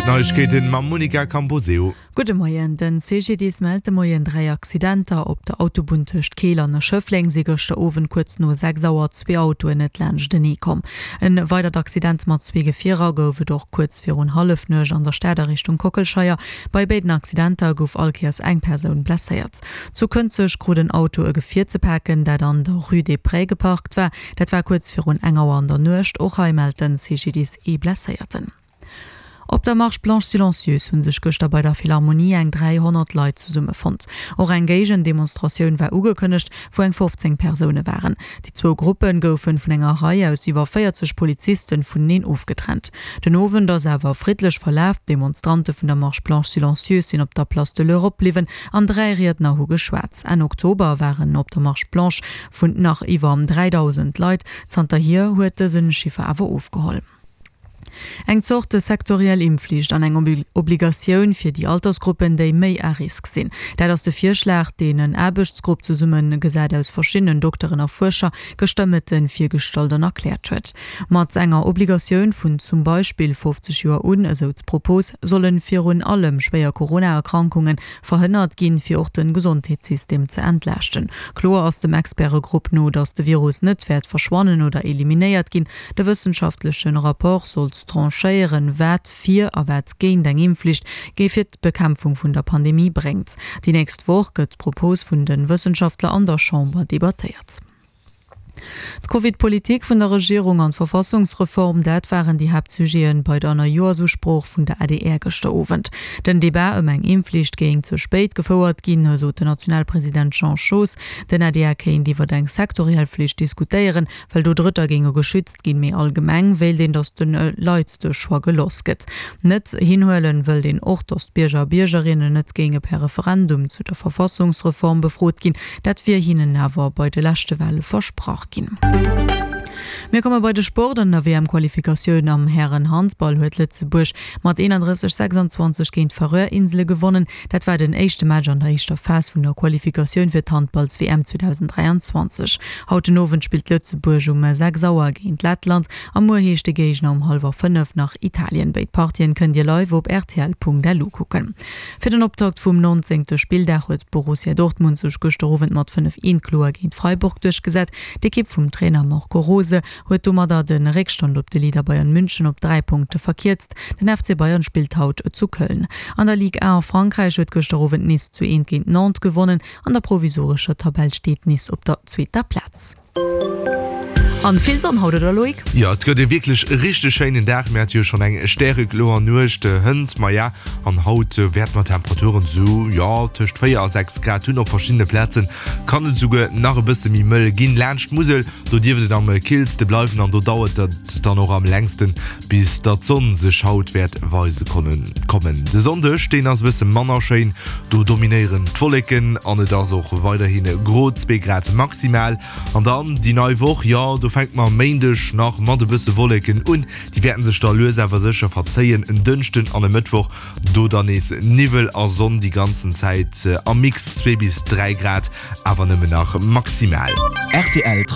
D'Neiegkeeten mam Monica Camposeo. Gudde Moien, Den CGDIS mellt de Moien 3 Accidenter. Op der Autobunn tëscht Keel an Schëffleng si gëschter Owend kuerz no 6 Auer zwee Autoen net laanschtenee komm. En weidert Accident mat zwee Gefierer gouf et och kuerz virun Hallefnuecht an der Stad a Richtung Kockelscheier. Bei béiden Accidenter gouf all Kéiers eng Persoun blesséiert. Zu Kënzeg krut en Auto e Gefier ze paken, dat an der Rue des Prés geparkt war. Dat war kuerz virun eng Auer an der Nuecht. Och hei mellt den CGDIS ee Blesséierten. Op der Marche Blanche Silencieuse hu sech gëschter bei der Philharmonie eng 300 Leit zesummefonnt. Och eng Géigendemonstratioun war ugekënnegt, wou eng 15 Persoune waren. Déi zwou Gruppe goufe vun enger Rei aus iwwer 40 Poliziste vuneneen ofgetrennt. Den Owend ass awer friddlech verlaf. D'Demonstrante vun der Marche Blanche Silencieuse sinn op der Place de l'Europe bliwwen an 3 Riedner hu geschwat. Enn Oktober waren op der Marche Blanche vun nach iwwer 3.000 Leit. Zanterhier huet dëse Chiffer awer ofgeholl. Eng Zort sektoriell Impfflicht an eng Obligatioun fir déi Altersgruppen, déi méi à risque sinn. Dat ass de Virschlag, deen en Aarbechtsgrupp, zesumme gesat aus verschiddenen Dokteren a Fuerscher, gëschter Mëtte virgestallt an erkläert huet. Mat enger Obligatioun vun zum Beispill 50 Joer un, esou d'Propos, solle virun allem schwéier Corona-Erkrankungen verhënnert ginn, fir och de Gesondheetssystem ze entlaaschten. Kloer ass dem Expertegrupp no, datt de Virus net wäert verschwannen oder eliminéiert ginn. De wëssenschaftleche Rapport sollt tranchéieren, wat fir a wat géint eng Impfflicht géif fir d'Bekämpfung vun der Pandemie bréngt. Déi nächst Woch gëtt d'Propos vun de Wëssenschaftler an der Chamber debattéiert. D'Covid-Politik vun der Regierung an d'Verfassungsreform, dat waren déi Haaptsujete bei der Neijoersusprooch vun der adr gëschter Owend. Den Debat ëm eng Impfflicht géing ze spéit gefouert ginn, sot den Nationalpresident Jean Schoos. Den adr kéint iwwer eng sektoriell Flicht diskutéieren, well do Drëtter géinge geschützt ginn. Méi allgemeng wéilt een, datt de Leit de Choix geloss gëtt. Net hinhuelen wëllt een och, datt d'Bierger a Biergerinnen net géinge per Referendum zu der Verfassungsreform befrot ginn. Dat wier hinnen awer bei de leschte Wale versprach ginn. Mir komme bei de Sport. An der WM-Qualifikatioun am Hären-Handball huet Lëtzebuerg mat 31, 26 géint d'Färöer Insele gewonnen. Dat war den éischte Match an der éischter Phas vun der Qualifikatioun fir d'Handballs-WM 2023. Haut den Owend spillt Lëtzebuerg um 6 Auer géint Lettland a muer heescht de Géigner um hallwer 5 nach Italien. Béid Partien kënnt Dir live op rtl.lu kucken. Fir den Optakt vum 19. Spilldag huet Borussia Dortmund sech gëschter Owend mat 5, 1 kloer géint Freiburg duerchgesat. D'Ekipp vum Trainer Marco Rose huet domadder de Réckstand op de Leader Bayern München op 3 Punkte verkierzt. Den FC Bayern spillt haut zu Köln. An der Ligue 1 a Frankräich huet gëschter Owend Nice zu 1 géint Nantes gewonnen. An der provisorescher Tabell steet Nice op der zweeter Plaz. An vill Sonn haut, oder Loïc? Jo, et gëtt e wierklech richteg schéinen Dag. Mir hate jo schonn eng stärekloer Nuecht hënt, maja, an haut wäerte mer Temperaturen sou, jo, tëscht 4 a 6 Grad hunn. Op verschiddene Plaze kann et esouguer nach e bësse méi mëll ginn. Laanscht d'Musel, do dierft et am killste bleiwen an do dauert et dann och am längsten, bis datt d'Sonn sech haut wäert weise kommen. De Sonndeg, deen ass e bësse manner schéin, do dominéieren d'Wolleken an et ass och weiderhi gro, zwee Grad maximal. An dann déi nei Woch, jo do fänke mer e Méindeg nach mat e bësse Wolleken un, déi wäerten sech da lues awer sécher verzéien. En Dënschden an e Mëttwoch do dann nees Niwwel a Sonn déi ganzen Zäit am Mix, zwee bis 3 Grad awer nëmmen nach maximal. Rtl.